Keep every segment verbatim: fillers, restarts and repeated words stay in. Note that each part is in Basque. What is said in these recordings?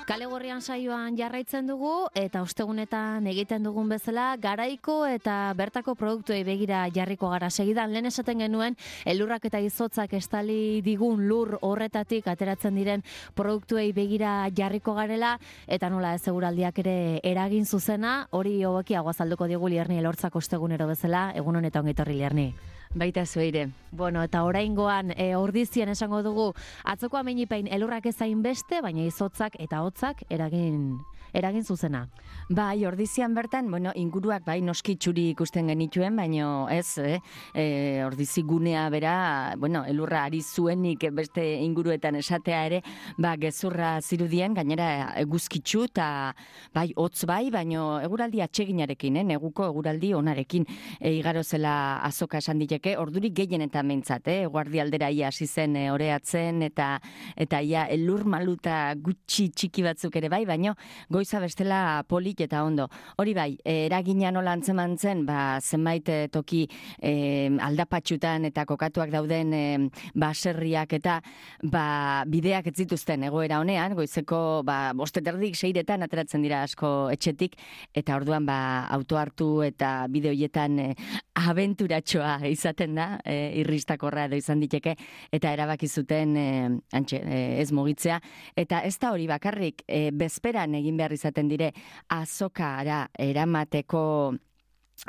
Kale Gorrian saioan jarraitzen dugu eta ostegunetan egiten dugun bezala garaiko eta bertako produktuei begira jarriko gara. Segidan lehen esaten genuen elurrak eta izotzak estali digun lur horretatik ateratzen diren produktuei begira jarriko garela eta nola ez eguraldiak ere eragin zuzena, hori hobekiago azalduko digu Lierni Elortzak ostegunero bezala. Egun honetan ongi etorri Lierni. Baita zueire. Bueno, eta oraingoan e, ordizien esango dugu atzoko amenipain elurrak ezain beste, baina izotzak eta hotzak eragin eragin zuzena. Bai, ordizian bertan, bueno, inguruak bai noski txuri ikusten genituen, baino ez, eh? E, ordizi gunea bera, bueno, elurra ari zuenik beste inguruetan esatea ere, ba, gezurra zirudien, gainera eguzkitzu eta bai, hotz bai, baino eguraldi atseginarekin, eh? Neguko eguraldi onarekin e, igaro zela azoka esan diteke, ordurik gehienetan behintzat, eh? Guardi aldera ia hasi zen e, oreatzen eta eta ia elur maluta gutxi txiki batzuk ere bai, baino goiza bestela polit eta ondo. Hori bai, eragina nola antzeman zen, ba, zenbait toki eh, aldapatxutan eta kokatuak dauden eh, baserriak eta ba, bideak ez zituzten egoera honean, goizeko ba, bosteterdik seiretan ateratzen dira asko etxetik, eta orduan ba, auto hartu eta bide horietan eh, abenturatxoa izaten da, eh, irristakorra edo izan diteke, eta erabaki zuten eh, antxe, eh, ez mugitzea, eta ez da hori bakarrik, eh, bezperan egin behar izaten dire azokara eramateko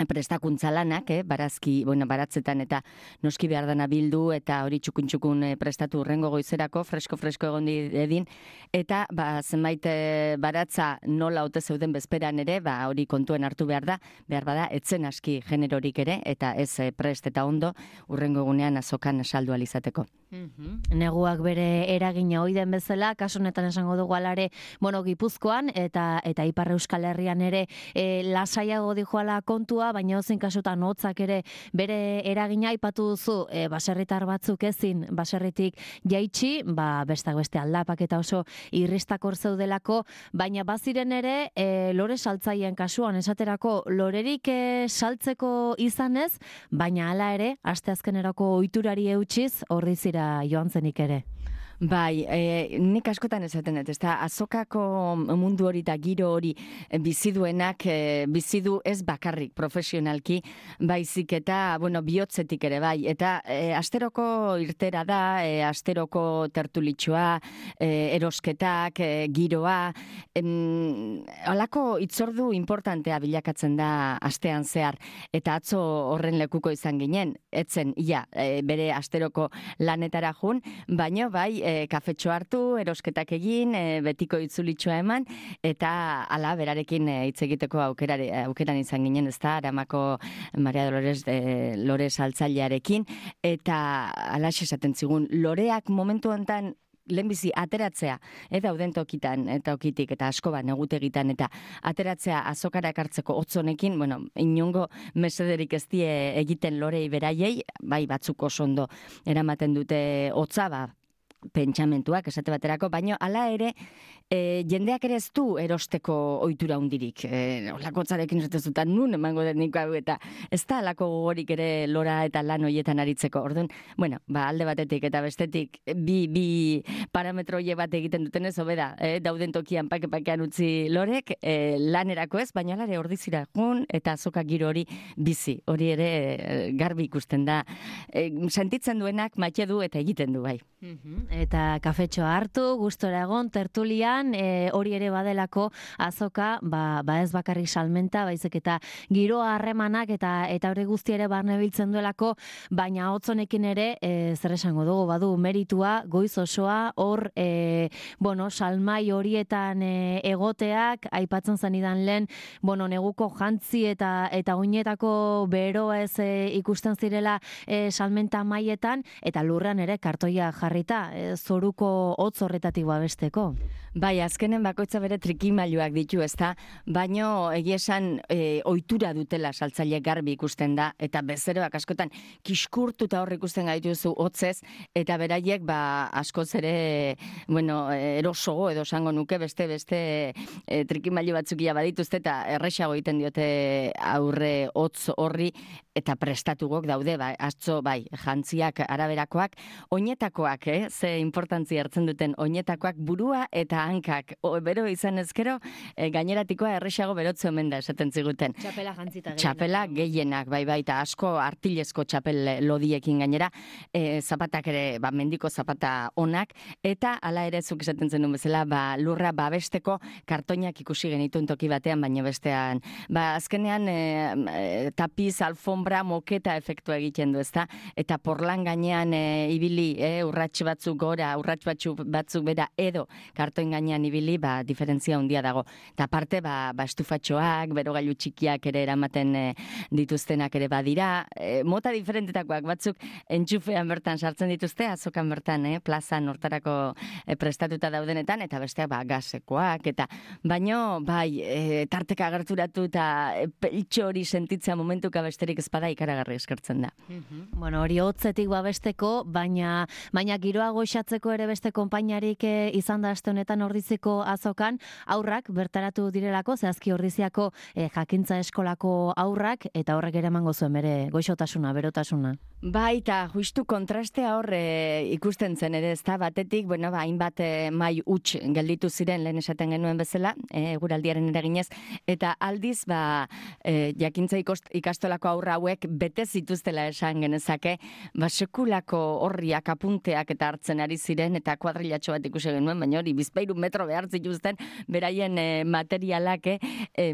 prestakuntza lanak, eh, barazki, bueno, baratzetan eta noski behar dana bildu eta hori txukun-txukun eh, prestatu urrengo goizerako, fresko-fresko egon edin, eta ba, zenbait eh, baratza nola ote zeuden bezperan ere, ba, hori kontuen hartu behar da, behar bada, etzen aski generorik ere, eta ez eh, prest eta ondo, urrengo egunean azokan saldu alizateko. Mm-hmm. Neguak bere eragina ohi den bezala, kasu honetan esango dugu alare, bueno, Gipuzkoan eta eta Ipar Euskal Herrian ere e, lasaiago dijoala kontua, baina ozein kasutan hotzak ere bere eragina aipatu duzu, e, baserritar batzuk ezin baserritik jaitsi, ba bestak beste aldapak eta oso irristakor zeudelako, baina baziren ere e, lore saltzaileen kasuan esaterako lorerik e, saltzeko izanez, baina hala ere asteazkenerako ohiturari eutsiz ordizira joan zenik ere. Bai, e, nik askotan esaten dut, ezta azokako mundu hori eta giro hori biziduenak e, bizidu ez bakarrik profesionalki, baizik eta, bueno, bihotzetik ere bai, eta e, asteroko irtera da, e, asteroko tertulitxoa, e, erosketak, e, giroa, em, alako itzordu importantea bilakatzen da astean zehar, eta atzo horren lekuko izan ginen, etzen, ia, e, bere asteroko lanetara jun, baino bai, e, kafetxo hartu, erosketak egin, e, betiko itzulitxoa eman, eta ala berarekin e, hitz egiteko aukerare, aukeran izan ginen, ezta, Aramako Maria Dolores de Lores altzailearekin, eta alaxe esaten zigun, loreak momentu hontan lehenbizi ateratzea, eta dauden tokitan, eta okitik, eta asko bat negutegitan, eta ateratzea azokara ekartzeko hotzonekin, bueno, inongo mesederik ez die egiten lorei beraiei, bai batzuk oso ondo eramaten dute hotza, ba, pentsamentuak esate baterako, baino hala ere e, jendeak ere ez du erosteko ohitura hundirik. E, olakotzarekin esatezutan nun emango den nik hau eta ez da alako gogorik ere lora eta lan hoietan aritzeko. Orduan, bueno, ba, alde batetik eta bestetik bi, bi parametro hoie bat egiten duten ez hobeda, e, dauden tokian pake-pakean utzi lorek, e, lanerako ez, baina alare ordizira jun eta azoka giro hori bizi. Hori ere e, garbi ikusten da. E, sentitzen duenak maite du eta egiten du bai. Mm-hmm. Eta kafetxoa hartu, gustora egon, tertulian, e, hori ere badelako azoka, ba, ba ez bakarrik salmenta, baizik eta giroa harremanak eta eta hori guzti ere barne biltzen duelako, baina hotzonekin ere, e, zer esango dugu, badu meritua, goiz osoa, hor, e, bueno, salmai horietan e, egoteak, aipatzen zenidan lehen, bueno, neguko jantzi eta eta oinetako beroa ez e, ikusten zirela e, salmenta maietan, eta lurran ere kartoia jarrita, e, zoruko hotz horretatik babesteko. Bai, azkenen bakoitza bere trikimailuak ditu, ezta, baino egia esan e, ohitura dutela saltzaile garbi ikusten da, eta bezeroak askotan kiskurtuta hor ikusten gaituzu hotzez, eta beraiek ba askoz ere, bueno, erosogo edo esango nuke beste beste e, trikimailu batzukia badituzte eta erresago egiten diote aurre hotz horri, eta prestatugok daude, bai, atzo, bai, jantziak araberakoak, oinetakoak, eh, ze importantzia hartzen duten oinetakoak burua eta eta hankak, o, bero izan ezkero, e, gaineratikoa erresago berotze omen da, esaten ziguten. Txapela jantzita gehienak. Txapela gehienak, bai, bai, eta asko artilezko txapel lodiekin gainera, e, zapatak ere, ba, mendiko zapata onak, eta hala ere zuk esaten zenun bezala, ba, lurra babesteko kartoinak ikusi genituen toki batean, baina bestean, ba, azkenean e, e, tapiz, alfombra, moketa efektua egiten du, ezta? Eta porlan gainean e, ibili, e, urratx batzuk gora, urratx batzuk, batzuk bera, edo kartoin gainean ibili, ba, diferentzia handia dago. Eta aparte, ba, ba estufatxoak, berogailu txikiak ere eramaten e, dituztenak ere badira, e, mota diferentetakoak batzuk entxufean bertan sartzen dituzte, azokan bertan, eh, plazan hortarako e, prestatuta daudenetan, eta besteak ba, gasekoak, eta baino, bai, e, tarteka agerturatu eta e, peltxo hori sentitzea momentuka besterik ezpada ikaragarri eskertzen da. Mm-hmm. Bueno, hori hotzetik babesteko, baina baina giroa goxatzeko ere beste konpainarik e, izan da aste honetan Ordiziko azokan, aurrak bertaratu direlako, zehazki Ordiziako e, jakintza eskolako aurrak, eta horrek ere emango zuen bere goixotasuna, berotasuna. Baita, justu kontrastea hor e, ikusten zen ere, ezta batetik, bueno, ba, hainbat e, mai huts gelditu ziren lehen esaten genuen bezala, e, guraldiaren eraginez, eta aldiz, ba, e, jakintza ikost, ikastolako aurra hauek bete zituztela esan genezake, ba, sekulako horriak, apunteak eta hartzen ari ziren, eta kuadrilatxo bat ikusi genuen, baina hori, bizpairu metro behar zituzten, beraien e, materialak, e,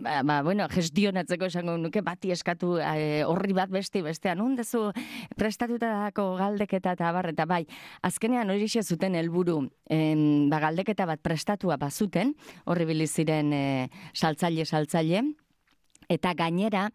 ba, ba, bueno, gestionatzeko esango nuke, bati eskatu e, horri bat beste, bestean, hundezu prestatutako galdeketa eta abar, eta bai, azkenean hori zuten helburu, em, ba, galdeketa bat prestatua bazuten, horri biliziren e, saltzaile, saltzaile, eta gainera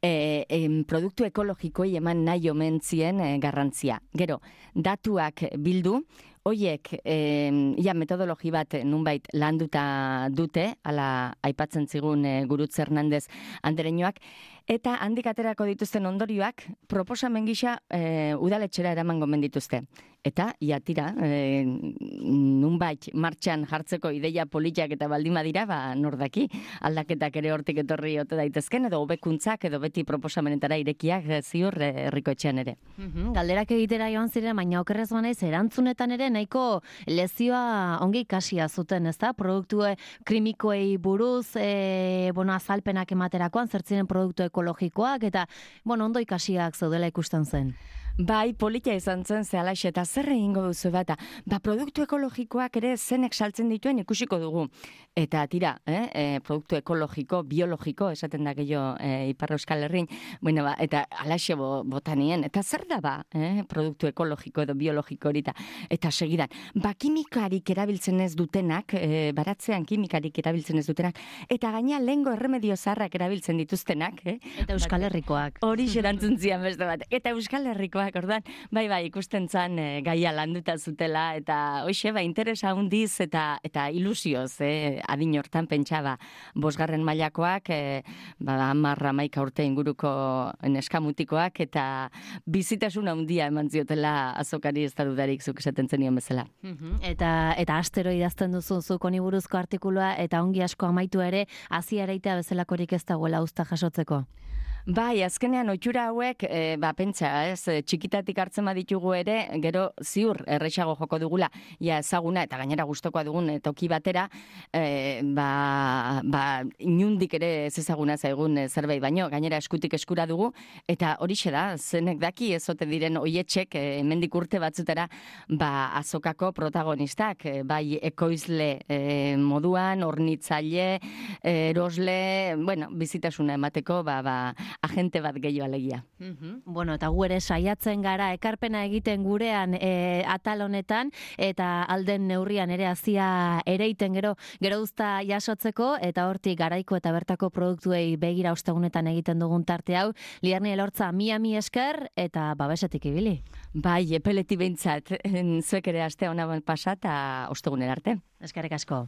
e, em, produktu ekologikoi eman nahi omen zien e, garrantzia. Gero, datuak bildu, hoiek eh, ja, metodologi bat nunbait landuta dute, ala aipatzen zigun e, Gurutze Hernandez andereñoak, eta handik aterako dituzten ondorioak proposamen gisa e, udaletxera eraman gomen dituzte. Eta, ia tira, e, nunbait martxan jartzeko ideia politiak eta baldima dira, ba, nordaki, aldaketak ere hortik etorri ote daitezken, edo hobekuntzak, edo beti proposamenetara irekiak ziur herriko etxean ere. Mm-hmm. Galderak egitera joan ziren, baina okerrez banaiz, erantzunetan ere nahiko lezioa ongi ikasia zuten, ezta? Produktu krimikoei buruz, e, bueno, azalpenak ematerakoan, zertziren produktu ekologikoak, eta, bueno, ondo ikasiak zaudela ikusten zen. Bai, politia izan zen zehalaxe, eta zer egingo duzu bata. Ba, produktu ekologikoak ere zenek saltzen dituen ikusiko dugu. Eta tira, eh, e, produktu ekologiko, biologiko, esaten da gehiago e, Ipar Euskal Herrin, bueno, ba, eta alaxe bo, botanien, eta zer da ba, eh, produktu ekologiko edo biologiko horita. Eta segidan, ba, kimikarik erabiltzen ez dutenak, e, baratzean kimikarik erabiltzen ez dutenak, eta gaina lehengo erremedio zaharrak erabiltzen dituztenak. Eh? Eta Euskal Herrikoak. Hori xerantzun zian beste bat. Eta Euskal Herrikoak, ordan, bai, bai, ikusten zan e, gaia landuta zutela, eta hoxe, ba, interesa hundiz eta eta ilusioz, eh, adin hortan pentsaba, bosgarren mailakoak, e, ba, hamar hamaika urte inguruko neskamutikoak, eta bizitasuna handia eman ziotela azokari ez da dudarik zuk esaten zenion bezala. Mm-hmm. Eta, eta astero idazten duzu zuk honi buruzko artikulua, eta ongi asko amaitu ere, hazi ereitea bezalakorik ez dagoela usta jasotzeko. Bai, azkenean ohitura hauek, e, ba, pentsa, ez, txikitatik hartzen baditugu ere, gero ziur erresago joko dugula, ja ezaguna, eta gainera gustokoa dugun e, toki batera, e, ba, ba, inundik ere ez ezaguna zaigun e, zerbait, baino, gainera eskutik eskura dugu, eta horixe da, zenek daki ezote diren oietxek, e, hemendik urte batzutera, ba, azokako protagonistak, e, bai ekoizle e, moduan, hornitzaile, e, erosle, bueno, bizitasuna emateko, ba, ba, agente bat gehiago alegia. Mm-hmm. Bueno, eta gu ere saiatzen gara ekarpena egiten gurean e, atal honetan, eta alden neurrian ere hazia ereiten gero gero uzta jasotzeko, eta hortik garaiko eta bertako produktuei begira ostegunetan egiten dugun tarte hau, Liarni Elortza mia mi esker, eta babesetik ibili. Bai, epeleti behintzat, zuek ere aste ona pasa eta ostegunera arte. Eskerrik asko.